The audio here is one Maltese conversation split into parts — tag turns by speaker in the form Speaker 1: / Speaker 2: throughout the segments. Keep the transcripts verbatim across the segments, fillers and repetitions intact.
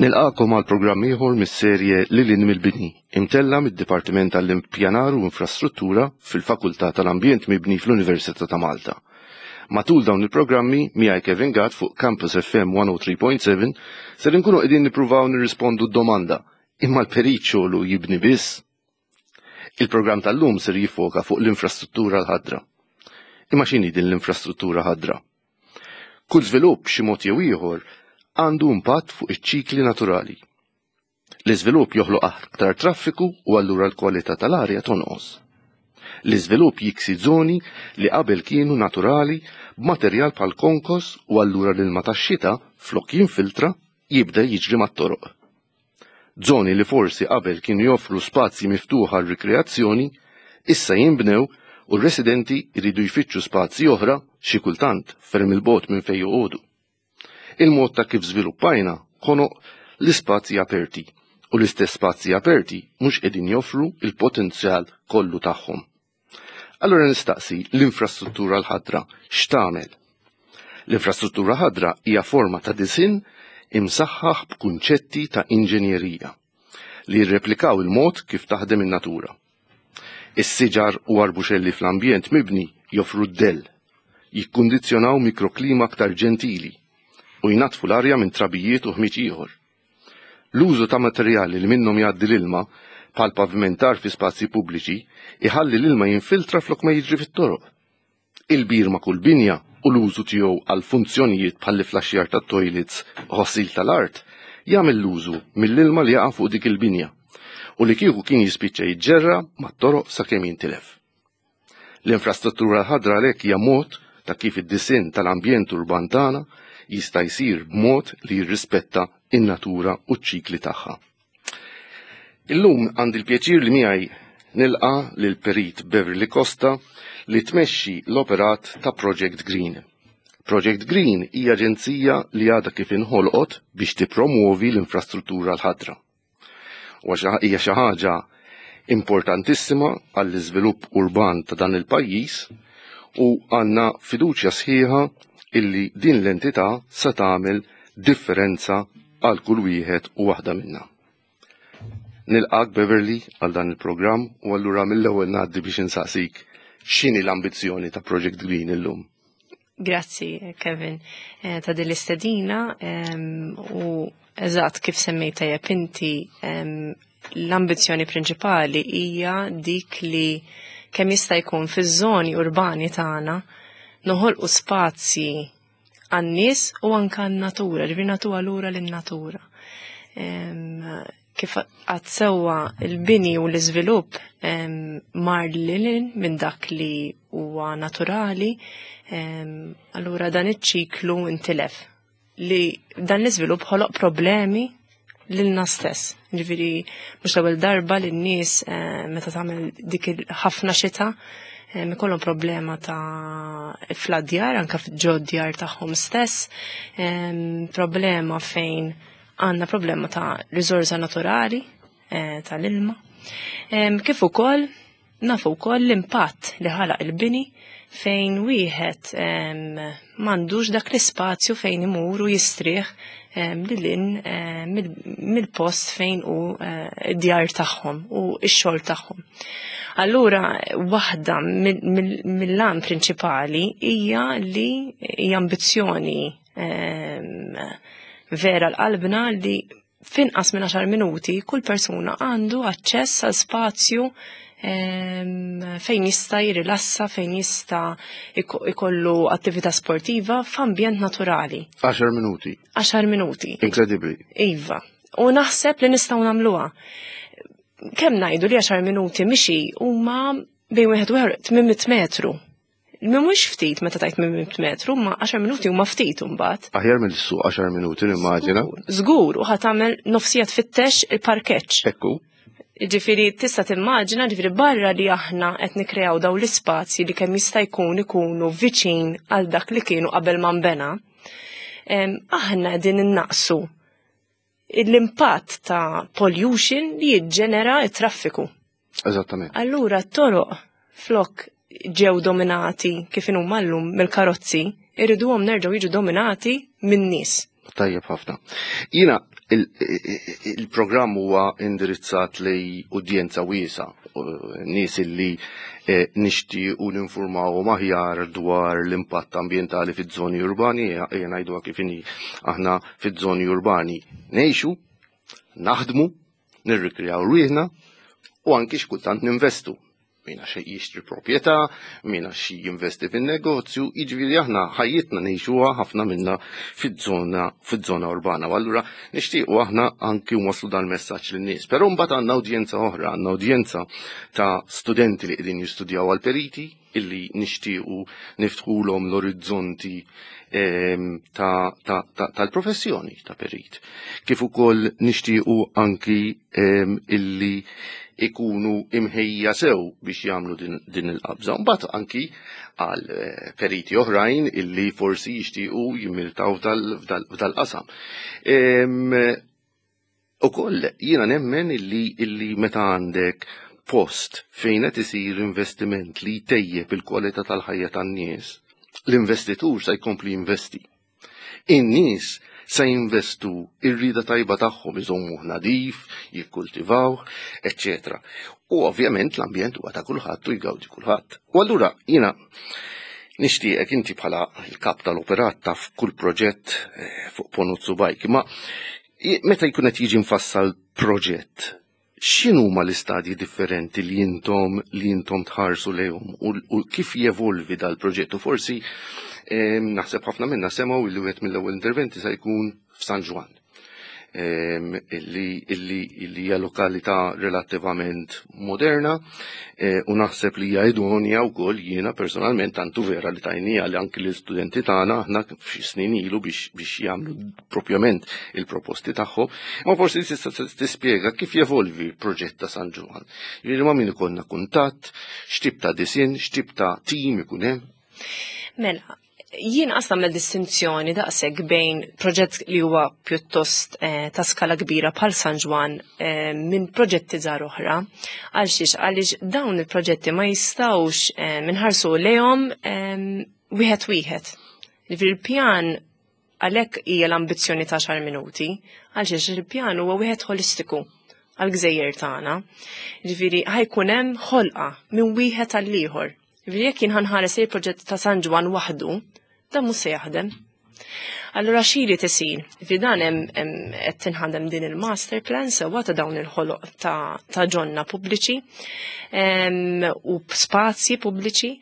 Speaker 1: Nilqagħkom għal programm ieħor mis-serje Lil hinn mill-Bini, imtella' mid-Dipartiment tal-Impjanar u Infrastruttura fil-Fakultà tal-Ambjent Mibni fl-Università ta' Malta. Matul dawn il-programmi, miegħi Kevin Gatt fuq Campus F M mija u tlieta punt seba' ser inkunu qegħdin nippruvaw nirrispondu d-domanda: imma l-perit xogħlu jibni biss? Il-programm tal-lum ser jiffoka fuq l-infrastruttura l-ħadra. Imma x'inhi din l-infrastruttura ħadra? Kull żvilupp xi mod jew ieħor għandu impatt fuq iċ-ċikli naturali. L-iżvilupp joħloq aktar traffiku u allura l-kwalità tal-arja tonqos. L-iżvilupp jiksi zoni li qabel kienu naturali b'materjal bħal konkos u allura l-ilma tax-xita, flok jinfiltra, jibda jiġri mat-toroq. Zoni li forsi qabel kienu joffru spazji miftuħa għal rikreazzjoni, issa jinbnew u r-residenti jridu jfittxu spazji oħra, xi kultant ferm 'il bogħod minn fejn joqogħdu. Il-mod ta' kif żviluppajna ħonoq l-ispazji aperti u l-istess spazji aperti mhux qegħdin joffru il-potenzjal kollu tagħhom. Allura nistaqsi, l-infrastruttura l-ħadra x'tagħmel? L-infrastruttura ħadra hija forma ta' disinn imsaħħaħ b'kunċetti ta' inġenjerija li jirreplikaw il-mod kif taħdem in-natura. Is-siġar u arbuxelli fl-ambjent mibni joffru d-dell, jikkundizzjonaw mikroklima aktar ġentili u jnaddfu l-arja minn trabijiet u ħmiġ ieħor. L-użu ta' materjali li minnhom jgħaddi l-ilma, bħal pavimentar fi spazji pubbliċi, iħalli l-ilma jinfiltra flok ma jiġri fit-toroq. Il-bir ma' kull binja u l-użu tiegħu għal funzjonijiet bħal flaxjar ta' toilets u ħossil tal-art jagħmel l-użu mill-ilma li jaqa' fuq dik il-binja u li kieku kien jispiċċa jiġġerra mat-toroq sakemm jintilef. L-infrastruttura ħadra għalhekk hija mod ta' kif id-disinn tal-ambjent urban tagħna jista' jsir b'mod li jirrispetta in-natura u ċ-ċikli tagħha. Illum għandi l-pjaċir li miegħi nilqa' lil Perit Beverly Costa li tmexxi l-operat ta' Project Green. Project Green hija aġenzija li għadha kif inħolqot biex tippromuovi l-infrastruttura l-ħadra. U hija xi ħaġa importantissima għall-iżvilupp urban ta' dan il-pajjiż u għandna fiduċja sħiħa illi din l-entità se tagħmel differenza għal kull wieħed u waħda minna. Nilqgħek, Beverly, għal dan il-programm u allura mill-ewwel ngħaddi biex insaqsik x'inhi l-ambizzjoni ta' Project Green illum.
Speaker 2: Grazzi, Kevin, eh, ta' din l-istedina u eżatt kif semmejta tajjeb inti, l-ambizzjoni prinċipali hija dik li kemm jista' jkun fiż-żoni urbani tagħna noħolqu spazji għan-nies u anka għan-natura, ġifieri nagħtuha lura lin-natura. Kif għad sewwa, il-bini u l-iżvilupp mar lil minn dak li huwa naturali, allura dan iċ-ċiklu intilef. Li dan l-iżvilupp ħoloq problemi lilna stess. Ġifieri mhux l-ewwel darba li n-nies meta tagħmel dik ħafna xita ikollhom problema ta' fl-djar, anka ġo djar tagħhom stess, problema fejn għandna problema ta' riżorsa naturali eh, tal-ilma. Kif ukoll nafu wkoll l-impatt li ħalaq il-bini fejn wieħed m'għandux dak l-ispazju fejn imur u jistrieħ lil mill-post fejn u eh, id-djar tagħhom u x-xogħol tagħhom. Allura, waħda mill-għan prinċipali hija li hija ambizzjoni vera l-qalbna li finqas minn għaxar minuti kull persuna għandu aċċess għal spazju fejn jista' jirilassa, fejn jista' ikollu attività sportiva f'ambjent naturali.
Speaker 1: għaxar minuti.
Speaker 2: għaxar minuti.
Speaker 1: Incredibly.
Speaker 2: Iva. U naħseb li nistgħu nagħmluha. Kemm ngħidu li għaxar minuti mixi huma bejn wieħed u ieħor tmien mitt metru. Mhux ftit meta tajt tmien mitt metru, ma għaxar minuti huma ftit imbagħad.
Speaker 1: Aħjar mill-suq għaxar minuti, nimmaġina.
Speaker 2: Żgur, u ħa tagħmel nofs siegħa tfittex il-parkeġġ.
Speaker 1: Ekku.
Speaker 2: Ġifieri tista' timmaġina, ġifieri barra li aħna qed nikreaw daw l-ispazji li kemm jista' jkun ikunu viċin għal dak li kienu qabel ma nbena. Aħna qegħdin innaqsu l-impatt ta' pollution li jiġġenera t-traffiku.
Speaker 1: Eżattament.
Speaker 2: Allura t-toroq, flok ġew dominati kif inhuma llum mill-karozzi, irriduhom nerġgħu jiġu dominati min-nies.
Speaker 1: Tajjeb ħafna. Jiena Il-programm huwa indirizzat lejn udjenza wiesgħa, nies illi eh, nixtiequ ninformawhom aħjar dwar l-impatt ambjentali fiż-żoni urbani, ejja ngħidu kif inhi, aħna fiż-żoni urbani ngħixu, naħdmu, nirrikreaw rwieħna u anki xkultant ninvestu. Mina xi jixtri proprjetà, mina xi jinvesti fin-negozju, jiġifieri aħna ħajjitna ngħixuha ħafna minna fiż-żona fiż-żona urbana. U allura nixtiequ aħna anki nwasslu dan messaġġ lin-nies. Però mbagħad għandna udjenza oħra, għandna udjenza ta' studenti li qegħdin jistudjaw għal periti illi nixtiequ niftħulhom l-orizzonti ehm, tal-professjoni ta' perit. Kif ukoll nixtiequ anki ehm, illi ikunu imħejja sew biex jagħmlu din, din il-qabża. Mbagħad anki għal eh, periti oħrajn illi forsi jixtiequ jimmiltaw f'dal-qasam. Ehm, Ukoll jiena nemmen illi, illi meta għandek post fejn qed isir investiment li jtejjeb il-kwalità tal-ħajja tan-nies, l-investitur se jkompli jinvesti. In-nies se jinvestu ir-rida tajba tagħhom iżommuh nadif, jikkultivawh, eċċetera. U ovvjament l-ambjent huwa ta' kulħadd u jgawdi kulħadd. U allura jiena nixtieqek inti bħala l-kap tal-operat taf kull proġett eh, fuq ponot subgħajk, ma meta jkun qed jiġi mfassal proġett, x'inhuma l-istadji differenti li intom li intom tħarsu lejhom u, u kif jevolvi dal-proġett u forsi eh, naħseb ħafna minna semgħu li wieħed mill-ewwel interventi se jkun f'San Ġwann. Illi illi hija lokalità relattivament moderna eh, u naħseb li hija idonja wkoll jiena personalment, tantu vera li tajnija li anki l-istudenti tagħna aħna f'xi snin ilu biex biex jagħmlu propjament il-proposti tagħhom, ma forsi tista' tispjega kif jevolvi l-proġett ta' San Ġwann. Jiġifieri ma' min ikollna kuntatt, x'tip ta' disinn, x'tip ta' tim ikun hemm.
Speaker 2: Mela, jien qas nagħmel distinzjoni daqshekk bejn proġett li huwa pjuttost eh, ta' skala kbira bħal San Ġwann eh, minn proġetti żgħar oħra. Għalxiex? Għaliex dawn il-proġetti ma jistgħux eh, minħarsu lejhom eh, wieħed wieħed. Ġifieri il-pjan, għalhekk hija l-ambizzjoni ta' għaxar minuti, għalxiex il-pjan huwa wieħed holistiku għal-gżejjer tagħna. Ġifieri ħa jkun hemm ħolqa minn wieħed għal ieħor. Ġifieri jekk jien ħa nħares il-proġett ta' San Ġwann waħdu, dan mhux se jaħdem. Allura x'irid isir? Fi dan hemm qed tinħadem din il-master plan sewwa ta' dawn il-ħoloq ta', ta ġonna pubbliċi u spazji pubbliċi.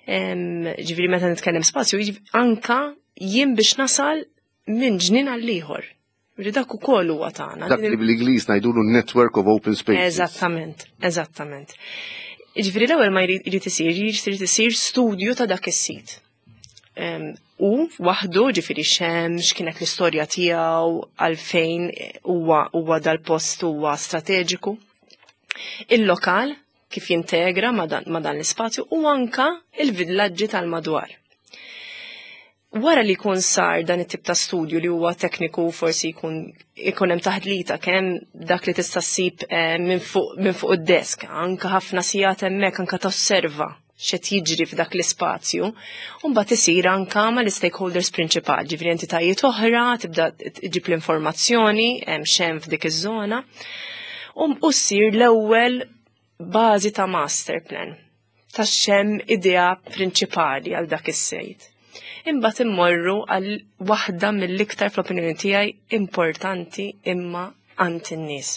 Speaker 2: Ġifieri meta nitkellem spazju, anka jien biex nasal minn ġnien għal ieħor. Ġifieri dak ukoll huwa tagħna.
Speaker 1: Dak li bl-Ingliż ngħidulu network of open spaces.
Speaker 2: Eżattament, eżattament. Ġifieri l-ewwel ma jrid isir, jrid isir studju ta' dak is-sit. U waħdu, ġifieri xem, x'kienet l-istorja tiegħu, għalfejn huwa huwa dal-post huwa strateġiku. Il-lokal kif jintegra ma dan, ma dan l-ispazju u anka il-villaġġi tal-madwar. Wara li jkun sar dan it-tip ta' studju li huwa tekniku, forsi jkun ikun hemm taħdlita kemm dak li tista' ssib eh, minn fuq minn fuq id-desk, anka ħafna sigħat hemmhekk anka tosserva x'qed jiġri f'dak l-ispazju, u mbagħad isir anka mal-stakeholders prinċipali, ġifieri entitajiet oħra, tibda tġib l-informazzjoni hemm x'hemm f'dik iż-żona, u ssir l-ewwel bażi ta' master plan ta' x'hemm idea prinċipali għal dak is-sejt. Imbagħad immorru għal waħda mill-iktar, fl-opinjoni tiegħi, importanti imma għand in-nies.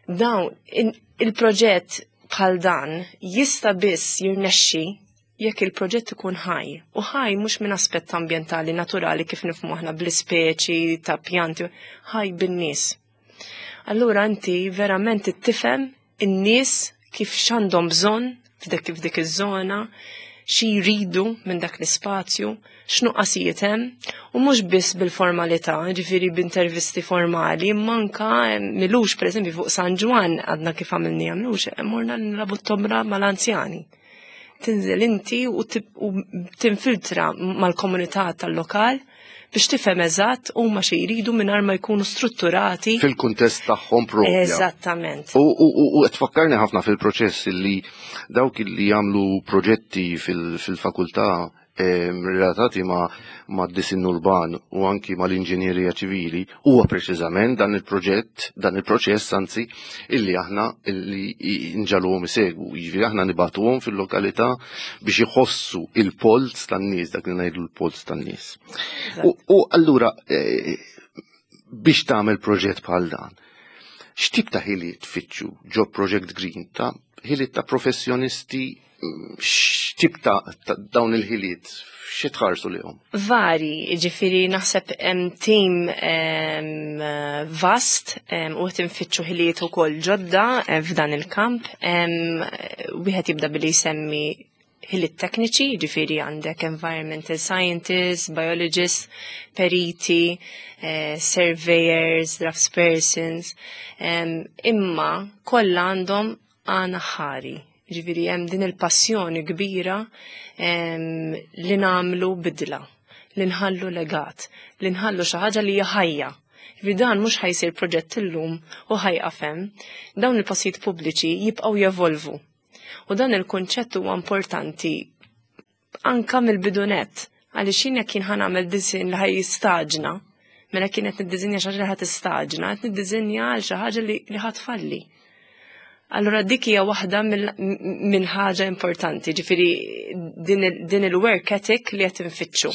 Speaker 2: Dawn il-proġett bħal dan jista' biss jirnexxi jekk il-proġett ikun ħaj. U ħaj mhux minn aspett ambjentali naturali kif nifhmu aħna bl-ispeċi ta' pjanti, ħaj bin-nies. Allura inti verament tifhem in-nies kif x'għandhom bżonn f'dik f'dik iż-żona, xi jridu minn dak l-ispazju, x'nuqqasijiet hemm, u mhux biss bil-formalità, ġifieri b'intervisti formali, manka milux, pereżempju, fuq San Ġwann għadna kif għamilni għamlux, morna nilagħbu t-tombra mal-anzjani. Tinżel inti u tinfiltra mal-komunità tal-lokal biex tifhem eżatt huma xi jridu mingħajr ma jkunu strutturati.
Speaker 1: Fil-kuntest tagħhom propja.
Speaker 2: Eżattament.
Speaker 1: U u qed tfakkarni ħafna fil-proċess li dawk li jagħmlu proġetti fil-fakultà. relatati ma' ma' disin urban u anki ma' l-inġinjerija ċivili huwa preċiżament dan il-proġett, dan il-proċess anzi, illi aħna illi nġagħluhom isegwu. Jiġifieri aħna nibagħtuhom fil-lokalità biex iħossu il-polz tan-nies, dak li ngħidu l-polz tan-nies. U allura eh, biex tagħmel proġett bħal dan, x'tip ta' ħiliet tfittxu ġo Project Green, ta' ħiliet ta' professjonisti, x'tip ta' dawn il-ħiliet, xi tħarsu lihom?
Speaker 2: Vari, ġifieri naħseb hemm team vast u qed infittxu ħiliet ukoll ġodda f'dan il-kamp. Wieħed jibda billi jsemmi ħiliet tekniċi, ġifieri għandek environmental scientists, biologists, periti, eh, surveyors, draftspersons, imma kollha għandhom għan aħħari. Ġifieri hemm din il-passjoni kbira li nagħmlu bidla, li nħallu legat, li nħallu xi ħaġa li hija ħajja. Ġifieri dan mhux ħa jsir proġett illum u ħa jieqaf hemm. Dawn il-postijiet pubbliċi jibqgħu jevolvu. U dan il-kunċett huwa importanti anka mill-bidu nett, għaliex jien jekk jien ħa nagħmel disinn li ħa jistaġna, mela kienet niddisinja xi ħaġa li ħa tistaġna, qed niddisinja għal xi ħaġa li ħa tfalli. Allora dik hija waħda minn ħaġa importanti, ġifieri din il-work ethic li qed infittxu.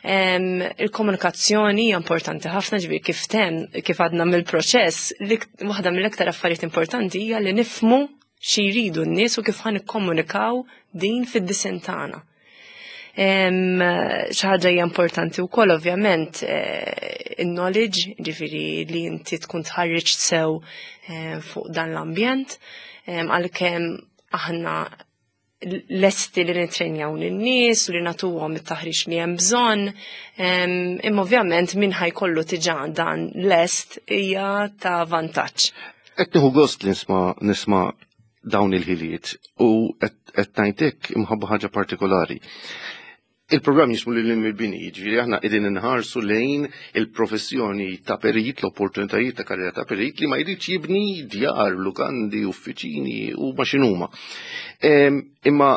Speaker 2: Il-komunikazzjoni hija importanti ħafna, ġifieri kif tem, kif għadna mill-proċess, waħda mill-iktar affarijiet importanti hija li nifhmu xi jridu n-nies u kif ħa nikkomunikaw din fid-disinn tagħna. Xi ħaġa hija importanti wkoll ovvjament eh, il-knowledge, ġifieri li inti tkun tħarriġ sew eh, fuq dan l-ambjent, għalkemm aħna lesti li nitrenjaw n-nies u li nagħtuhom it-taħriġ li hemm bżonn, imma ovvjament min ħa jkollu diġà dan lest hija ta' vantaġġ.
Speaker 1: Qed nieħu gost li nisma' nisma' dawn il-ħiliet u qed ngħidlek imħabba ħaġa partikolari. Il-programm jismu Lil Hinn mill-Bini, ġifieri aħna qegħdin inħarsu lejn il-professjoni ta' perit, l-opportunitajiet ta' karriera ta' perit li ma jridx jibni djar, lukandi, uffiċini u ma x'inhuma. Imma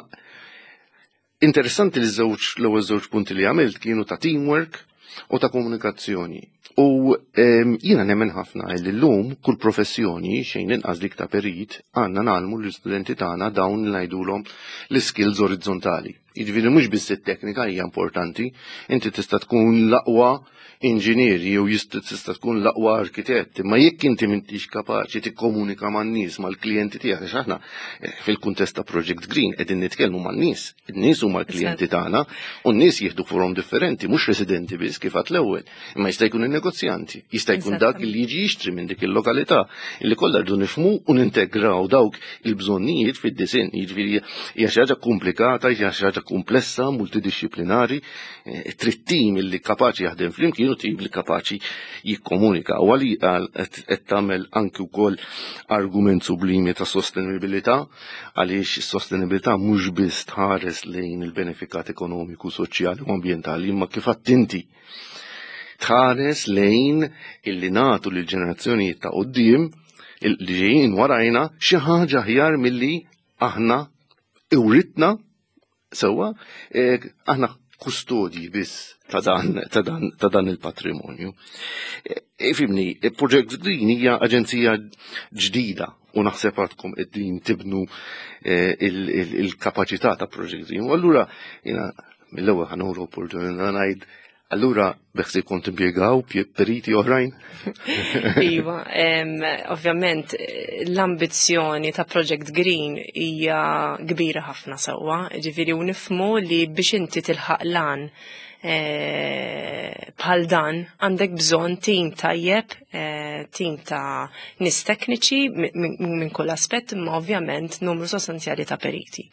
Speaker 1: interessanti li żewġ l-ewwel żewġ punti li għamilt kienu ta' teamwork u ta' komunikazzjoni. U jiena nemmen ħafna li llum kull professjoni, xejn inqas dik ta' perit, għandna ngħallmu l-istudenti tagħna dawn li ngħidulhom l-skills orizzontali. Jiġifieri mhux biss it-teknika hija importanti, inti tista' tkun l-aqwa inġinier jew tista' tkun l-aqwa arkitett, imma jekk inti m'intix kapaċi tikkomunika man-nies, mal-klijenti tiegħek, għax aħna eh, fil-kuntest ta' Project Green qegħdin nitkellmu man-nies, in-nies huma l-klijenti tagħna u n-nies jieħdu forom differenti, mhux residenti biss kif għedt l-ewwel, imma jista' jkun in-negozjanti, jista' jkun dak li jiġi jixtri minn dik il-lokalità, illi kollha rridu nifhmu u nintegraw dawk il-bżonnijiet fid-disinn, jiġifieri hija xi ħaġa komplikata, hija xi ħaġa komplessa, multidisciplinari, eh, trid tim illi kapaċi jaħdem flimkien u tim li kapaċi jikkomunika. U għali qed tagħmel anki wkoll argument sublimi ta' sostenibilità, għaliex is-sostenibilità mhux biss tħares lejn il-benefikat ekonomiku, soċjali u ambjentali, imma kif inti tħares lejn illi nagħtu lil ġenerazzjonijiet ta' quddiem li ġejjin warajna xi ħaġa aħjar milli aħna iwritna sewwa, eh, aħna kustodji biss ta' dan, ta' dan, ta' dan il-patrimonju. Ifhimni, Project Green hija aġenzija ġdida u naħseb għadkom qegħdin tibnu eh, il-kapaċità ta' Project Green. U allura jiena mill-ewwel ħa nieħu opportunità ngħid, allura beħsiebkom timpjegaw periti oħrajn?
Speaker 2: Iva, ovvjament l-ambizzjoni ta' Project Green hija kbira ħafna sewwa, ġifieri u nifhmu li biex inti tilħaq lan eh, bħal dan għandek bżonn tim tajjeb, eh, tim ta' nies tekniċi minn kull aspett, imma ovvjament numru sostanzjali ta' periti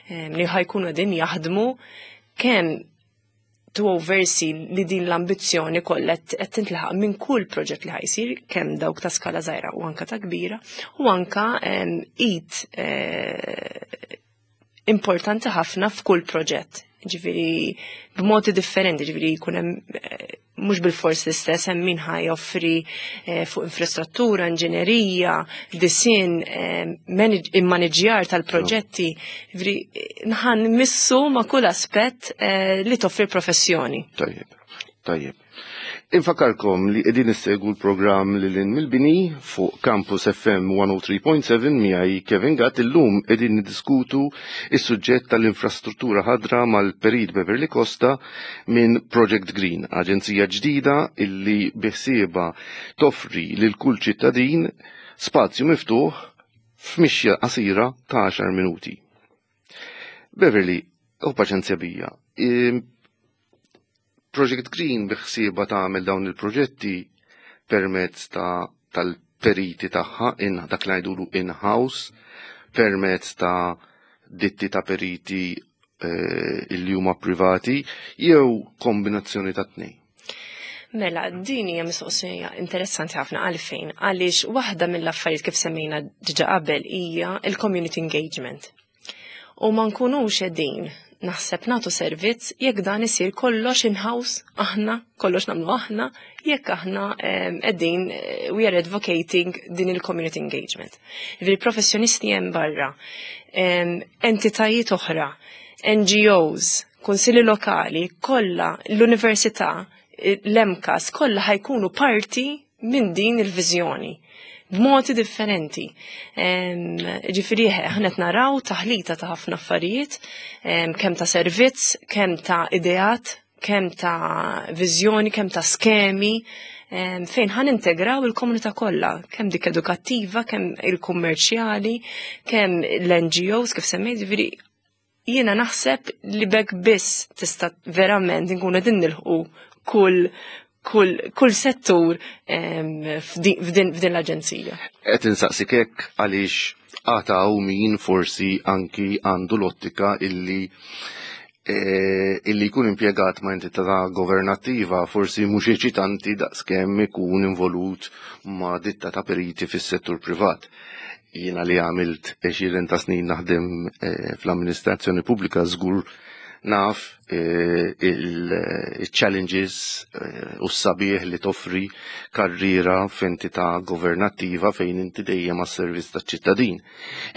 Speaker 2: li ħa jkunu qegħdin jaħdmu kemm to oversee li din l-ambizzjoni kollha qed tintlaħaq minn kull proġett li ħa jsir, kemm dawk ta' skala żgħira u anka ta' kbira, u anka id eh, importanti ħafna f'kull proġett. Ġifieri b'modi differenti, ġifieri jkun hemm eh, mhux bil-fors l-istess, hemm min ħa joffri eh, fuq infrastruttura, inġinerija, disinn, eh, immaniġjar tal-proġetti. Ġifieri ħa nmissu ma' kull aspett li toffri professjoni.
Speaker 1: Tajjeb, tajjeb. Infakarkom li qegħdin issegwu l-programm Lil Hinn mill-Bini fuq Campus F M mija u tlieta punt seba' miegħi Kevin Gatt. Illum qegħdin niddiskutu is-suġġett tal-infrastruttura ħadra mal-Perit Beverly Costa minn Project Green, aġenzija ġdida illi biħsieba toffri lil kull ċittadin spazju miftuħ f'mixja qasira ta' għaxar minuti. Beverly, u paċenzja bija, Project Green biħsieba tagħmel dawn il-proġetti permezz ta' tal-periti tagħha in dak li ngħidulu in-house, permezz ta' ditti ta' periti eh, illi huma privati jew kombinazzjoni ta' tnejn?
Speaker 2: Mela, din hija mistoqsija interessanti ħafna. Għalfejn? Għaliex waħda mill-affarijiet, kif semmejna diġà qabel, hija il-community engagement. U ma nkunux qegħdin, naħseb, nagħtu servizz jekk dan isir kollox in-house, aħna, kollox nagħmlu aħna, jekk aħna qegħdin eh, we are advocating din il-community engagement. Ġifieri professjonisti hemm barra, entitajiet oħra, N G Os, kunsilli lokali, kollha l-università, l-M C A S, kollha ħa jkunu parti minn din il-viżjoni b'modi differenti. Ġifieri aħna qed naraw taħlita ta' ħafna affarijiet, kemm ta' servizz, kemm ta' ideat, kemm ta' viżjoni, kemm ta' skemi, fejn ħa nintegraw il-komunità kollha, kemm dik edukattiva, kemm il-kummerċjali, kemm l-N G Os kif semmejt. Ġifieri jiena naħseb li b'hekk biss tista' verament nkunu qegħdin nilħqu kull kull, kull settur f'din l-aġenzija.
Speaker 1: Qed insaqsik hekk għaliex għad hawn min forsi anki għandu l-ottika illi e, illi jkun impjegat ma' entità governattiva forsi mhux eċitanti daqskemm ikun involut ma' ditta ta' periti fis-settur privat. Jiena li għamilt għexieren ta' snin naħdem e, fl-amministrazzjoni pubblika żgur naf eh, il-challenges eh, u s-sabiħ li toffri karriera f'entità governattiva fejn inti dejjem għas-servizz taċ-ċittadin.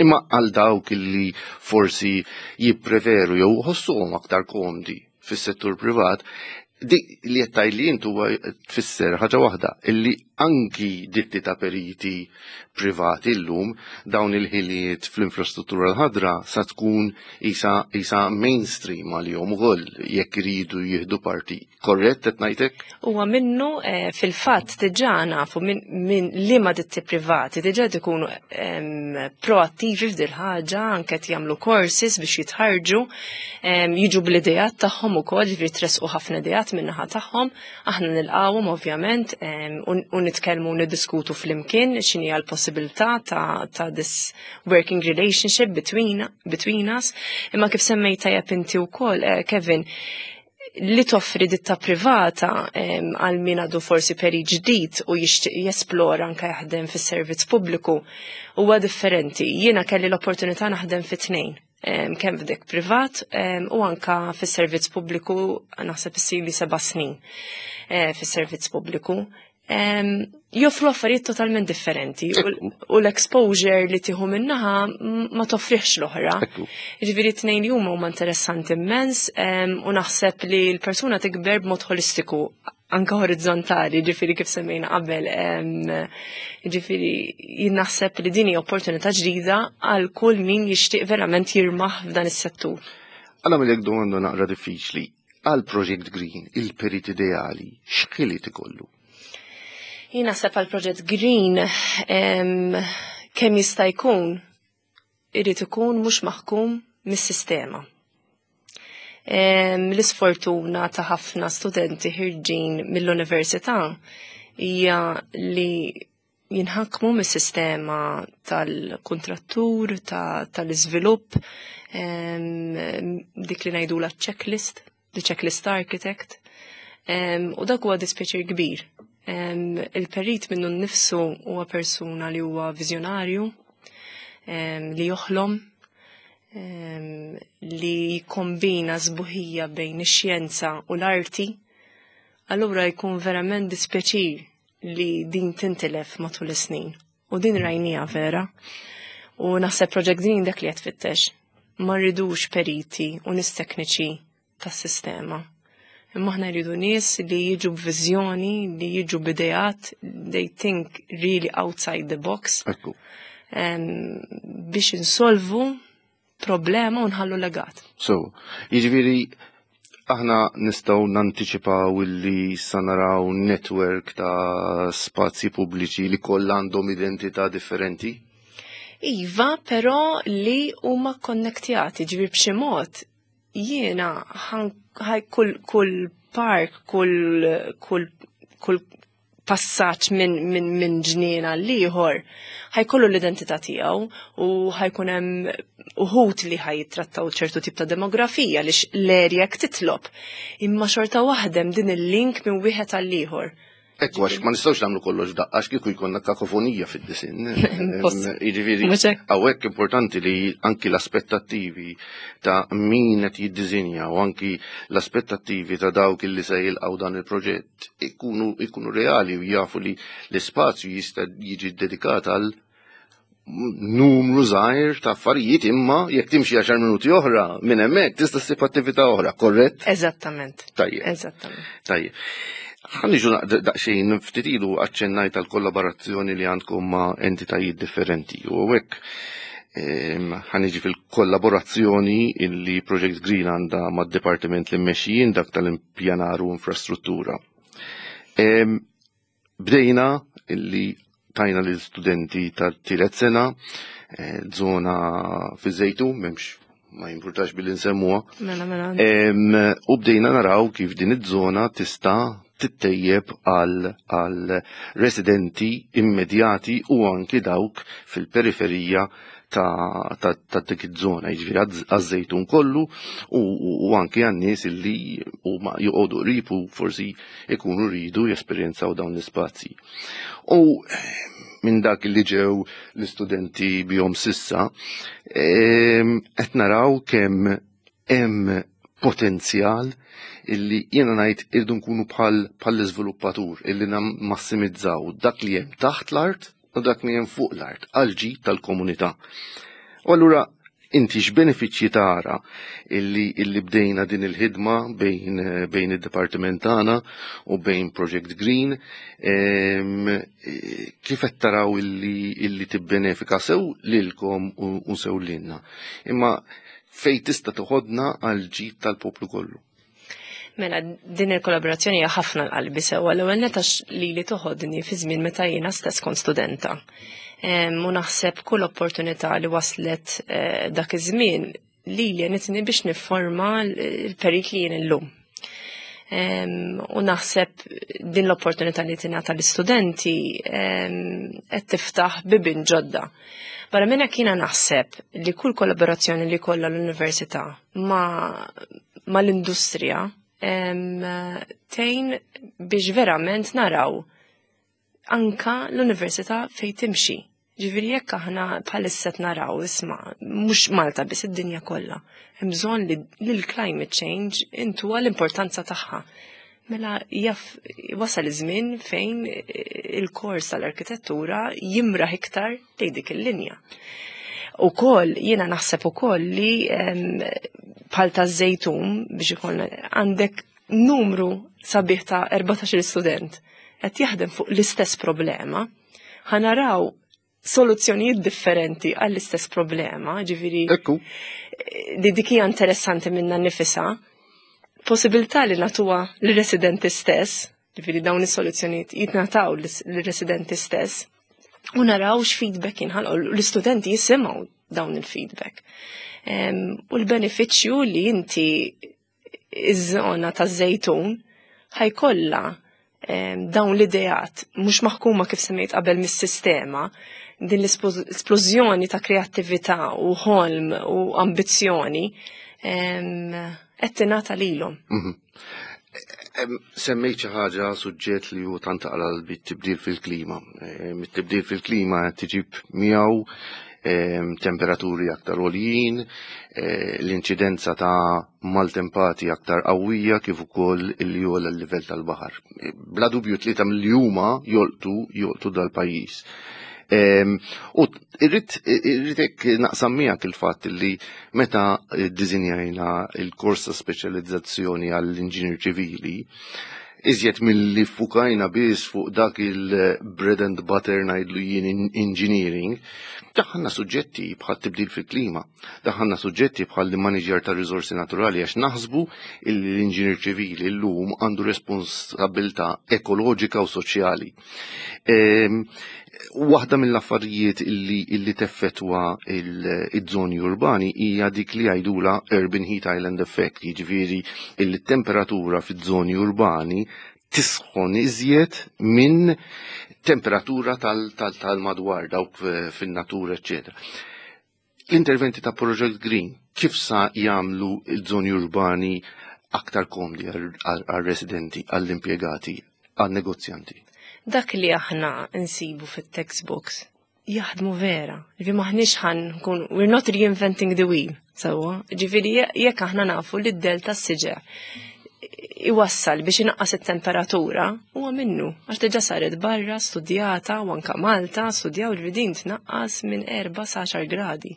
Speaker 1: Imma għal dawk li forsi jippreferu jew ħossuhom aktar komdi fis-settur privat, di li jettaj li intu tfisser ħaġa waħda, illi anki ditti ta' periti privati llum dawn il-ħiliet fl-infrastruttura l-ħadra sa tkun isa, isa mainstream għalihom ukoll jekk iridu jieħdu parti. Korrett qed ngħidlek?
Speaker 2: Huwa minnu, eh, fil-fatt diġà nafu minn min liema ditti privati diġà ikunu proattivi f'dil ħaġa, anke qed jagħmlu courses biex jitħarġu, jiġu bl-idejat tagħhom ukoll, ġifieri tressqu ħafna ideat min-naħa tagħhom, aħna nilqawhom ovvjament u nitkellmu u niddiskutu flimkien x'inhi l-possibilità ta', ta' this working relationship between, between us. Imma kif semmejt tajjeb inti wkoll, eh, Kevin, li toffri ditta privata għal min għadu forsi perit ġdid u jixtieq jesplora anka jaħdem fis-servizz pubbliku huwa differenti. Jiena kelli l-opportunità naħdem fit tnejn, kemm f'dik privat u anka fis-servizz pubbliku, naħseb issili seba' snin eh, fis-servizz pubbliku. Joffru affarijiet totalment differenti u l-exposure li tieħu min-naħa ma toffriħx l-oħra. Ġifieri tnejn li huma huma interessanti immens u naħseb li l-persuna tikber b'mod holistiku, anka orizzontali, ġifieri kif semmejna qabel. Ġifieri jien naħseb li din hija opportunità ġdida għal kull min jixtieq verament jirmaħ f'dan is-settur.
Speaker 1: Għala mill domanda naqra diffiċli. Għal Project Green, il-perit ideali, x'ħiliet ikollu?
Speaker 2: Jien naħseb għal Project Green, kemm jista' jkun irid ikun mhux maħkum mis-sistema. L-isfortuna ta' ħafna studenti ħirġin mill-università hija li jinħakmu mis-sistema tal-kontrattur, tal-iżvilupp, dik li ngħidu la checklist, the checklist architect. U dak huwa dispjaċir kbir. Il-perit minnu nnifsu huwa persuna li huwa viżjonarju, li joħlom, em, li jikkombina sbuħija bejn ix-xjenza u l-arti, allura jkun verament dispjaċir li din tintilef matul is-snin. U din rajnieha vera. U naħseb Project Green dak li qed tfittex. Ma rridux periti u nies tekniċi tas-sistema. Imma aħna rridu nies li jiġu b'viżjoni, li jiġu b'ideat, they think really outside the box,
Speaker 1: Ekku.
Speaker 2: em, biex insolvu problema u nħallu legat.
Speaker 1: So, jiġifieri aħna nistgħu nantiċipaw illi sa naraw network ta' spazji pubbliċi li kollha għandhom identità differenti?
Speaker 2: Iva, però li huma konnektjati, ġifieri b'xi mod jiena ħaj kull kull park, kull kull kull passaġġ minn min, min ġnien għal ieħor ħa jkollu l-identità tiegħu u ħa jkun hemm uħud li ħa jittrattaw ċertu tip ta' demografija li l-erja titlob. Imma xorta waħda hemm din il-link minn wieħed għal ieħor.
Speaker 1: Ekku, għax ma nistgħux nagħmlu kollox daqqa, għax kieku jkollna kakofonija fid-disinn.
Speaker 2: Impossibbli.
Speaker 1: Jiġifieri,
Speaker 2: Mhux hekk?
Speaker 1: hawnhekk importanti li anki l-aspettattivi ta' min qed jiddisinja u anki l-aspettattivi ta' dawk li se jilqgħu dan il-proġett ikunu ikunu reali u jafu li l-ispazju jista' jiġi dedikat għal numru żgħir ta' affarijiet, imma jekk timxi għaxar minuti oħra minn hemmhekk tista' ssib attività oħra, korrett?
Speaker 2: Eżattament.
Speaker 1: Tajjeb.
Speaker 2: Eżattament.
Speaker 1: Tajjeb. Ħa niġu daqsxejn ftit ilu aċċennajt tal-kollaborazzjoni li għandkom ma' entitajiet differenti u hekk ħa niġi fil-kollaborazzjoni illi Project Green għandha mad-dipartiment li mmexxijin, dak tal-impjanar u infrastruttura. Em, Bdejna illi tajna l-studenti tal-tielet sena, eh, zona fi Żejtun, m'hemmx ma jimpurtax billi nsemmuha.
Speaker 2: Mela, mela.
Speaker 1: Em, U bdejna naraw kif din iż-żona tista' tittejjeb għal għal residenti immedjati u anki dawk fil-periferija ta', ta, ta' dik iż-żona, jiġifieri għaż-Żejtun kollu u, u, u anki għan-nies illi huma joqogħdu qrib u forsi ikunu rridu jesperjenzaw dawn l-ispazji. U minn dak li ġew l-istudenti bihom s'issa, em, qed naraw kemm hemm potenzjal illi jiena ngħid irdu nkunu bħal bħal l-iżviluppatur illi nammassimizzaw dak li hemm taħt l-art u dak li hemm fuq l-art għal ġid tal-komunità. U allura inti x'benefiċċji tara illi illi bdejna din il-ħidma bejn bejn id-dipartiment tagħna u bejn Project Green, em, eh, kif qed taraw illi illi tibbenefika sew lilkom u, u sew lilna? Imma fej tista' toħodna għal ġid tal-poplu kollu?
Speaker 2: Mela, din il-kollaborazzjoni hija ħafna l-qalbi sewwa. L-ewwel nett għax li li toħodni fi żmien meta jiena stess kont studenta. Em, U naħseb kull opportunità li waslet eh, dak iż-żmien li li għenitni biex nifforma l-perit li jien illum. Em, U naħseb din l-opportunità li tingħata l-istudenti em, qed tiftaħ bibien ġodda. Barra minn hekk jiena naħseb li kull kollaborazzjoni li kollha l-università ma, ma l-industrija em, tgħin biex verament naraw anka l-università fej timxi. Ġifieri jekk aħna bħalissa qed naraw, isma', mhux Malta biss, id-dinja kollha. Hemm bżonn li li l-climate change intuha l-importanza tagħha. Mela jaf wasal iż-żmien fejn il-kors tal-arkitettura jimraħ iktar lejn dik il-linja. Ukoll, jiena naħseb ukoll li em, bħal ta' Żejtun biex ikollna għandek numru sabiħ ta' erbatax-il student qed jaħdem fuq l-istess problema, ħa naraw soluzzjonijiet differenti għall-istess problema, ġifieri
Speaker 1: Ekku.
Speaker 2: li dik hija interessanti minna nifisha, possibilità li nagħtuha l-residenti stess, ġifieri dawn is-soluzzjonijiet jitnataw l-residenti stess, u naraw x'feedback jinħalqu, l-istudenti jisimgħu dawn il-feedback. Em, U l-benefiċċju li inti iż-żona ta' Żejtun ħa jkollha em, dawn l-ideat mhux maħkuma kif semmejt qabel mis-sistema, din l-esplożjoni ta' kreattività u ħolm u ambizzjoni em, qed tingħata lilhom.
Speaker 1: Mhm. Em, Semmejt xi ħaġa, suġġett li hu tant taqra bit-tibdil fil-klima. Em, It-tibdil fil-klima qed tiġib miegħu Temperaturi aktar għoljin, eh, l-inċidenza ta' maltempati aktar qawwija kif ukoll illi jogħla l-livell tal-baħar. Bla dubju tlieta milli huma jolqtu jolqtu dal-pajjiż. U irrid irrid naqsam miegħek il-fatt li meta ddisinjajna il-kors ta' speċjalizzazzjoni għall-inġinier ċivili, iżjed mill-li fukajna biss fuq dak il-bread and butter ngħidlu jien engineering, daħħalna suġġetti bħal tibdil fil-klima, daħħalna suġġetti bħal manager ta' riżorsi naturali għax naħsbu illi l-inġinier ċivili llum għandu responsabilità ekoloġika u soċjali. Waħda mill-affarijiet illi, illi teffettwa il-żoni urbani hija dik li jgħidula Urban Heat Island Effect, jiġifieri illi temperatura fiż-żoni urbani tisħon iżjed minn temperatura tal-madwar dawk fin-natura, eċċetera. L-interventi ta' Project Green kif sa jagħmlu il-żoni urbani aktar komdi għal-residenti, għall-impjegati, għal-negozjanti?
Speaker 2: Dak li aħna nsibu fit-textbooks jaħdmu vera. Ġifieri maħniex ħa nkun, we're not reinventing the wheel, sewwa. Ġifieri jekk aħna nafu li d-dell tas-siġar iwassal biex inaqqas it-temperatura huwa minnu għax diġà saret barra studjata u anka Malta studjaw li din tnaqqas minn erba' sa għaxar gradi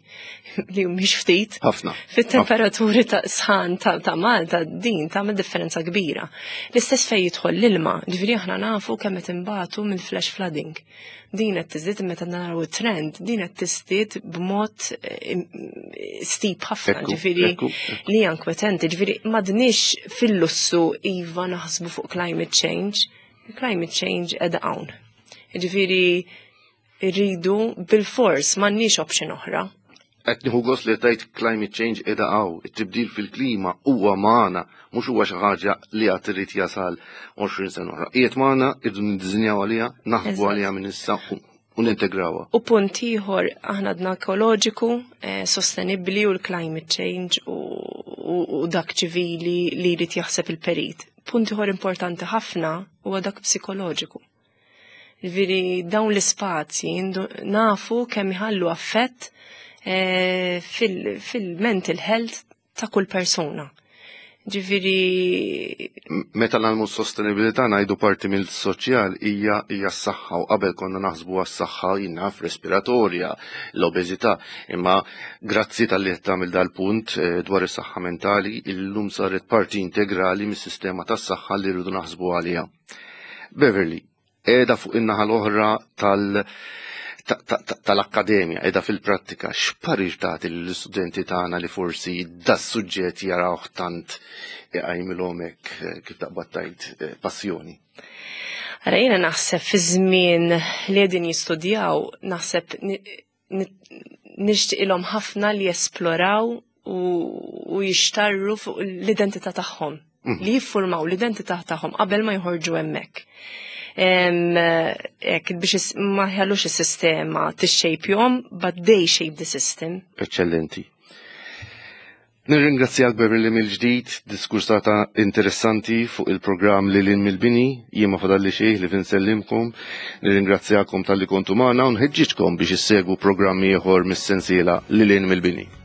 Speaker 2: li mhix ftit.
Speaker 1: Ħafna.
Speaker 2: Fit-temperaturi ta' sħan ta', ta Malta din tagħmel differenza kbira. L-istess fejn jidħol l-ilma, ġifieri aħna nafu kemm qed inbatu minn flash flooding. Din qed tiżdied meta naraw it-trend, din qed tiżdied b'mod eh, steep ħafna, ġifieri li inkwetanti, ġifieri m'għadniex fil-lussu iva naħsbu fuq climate change. Climate change qiegħda hawn. Ġifieri rridu bil-fors m'għandniex option oħra.
Speaker 1: Qed nieħu gost li tajt climate change qiegħda hawn, it-tibdil fil-klima huwa magħna, mhux huwa xi ħaġa li għad irid jasal għoxrin sena oħra. Qiegħed magħna, irridu niddisinjaw għaliha, naħsbu għaliha minn issa u nintegrawha.
Speaker 2: U punt ieħor aħna għadna ekoloġiku, eh, sostenibbli u l-climate change u, u, u dak ċivili li jrid jaħseb il-perit. Punt ieħor importanti ħafna huwa dak psikoloġiku. Ġifieri dawn l-ispazji nafu kemm iħallu affett eh, fil-mental health ta' kull persuna. Ġifieri.
Speaker 1: Meta ngħallmu s-sostenibilità ngħidu parti mill-soċjal hija hija s-saħħa u qabel konna naħsbu għas-saħħa jinnaf respiratorja, l-obeżità, imma grazzi talli qed tagħmel dal-punt eh, dwar is-saħħa mentali illum saret parti integrali mis-sistema tas-saħħa li rridu naħsbu għaliha. Beverly, qiegħda fuq in-naħa l-oħra tal- tal-akkademja qiegħda fil-prattika, x'parir tagħti lill-istudenti tagħna li forsi das-suġġett jarawh tant iqajmilhom hekk eh, kif taqbad tgħid eh, passjoni?
Speaker 2: Ara jiena naħseb fi żmien li qegħdin jistudjaw, naħseb nixtieqilhom ħafna li jesploraw u, u jixtarru fuq l-identità tagħhom, mhm. li jiffurmaw l-identità tagħhom qabel ma jħorġu hemmhekk. Ek, biex ma jħallux is-sistema tixxejpjhom, but they shape the system.
Speaker 1: Eccellenti. Nirringrazzjak Beverly mill-ġdid, diskursata interessanti fuq il-programm Lil Hinn mill-Bini, jien ma fadalli xejn ħlief insellimkom, nirringrazzjakom talli kontu magħna u nħeġġiġkom biex issegwu programmi ieħor mis-sensiela Lil Hinn mill-Bini.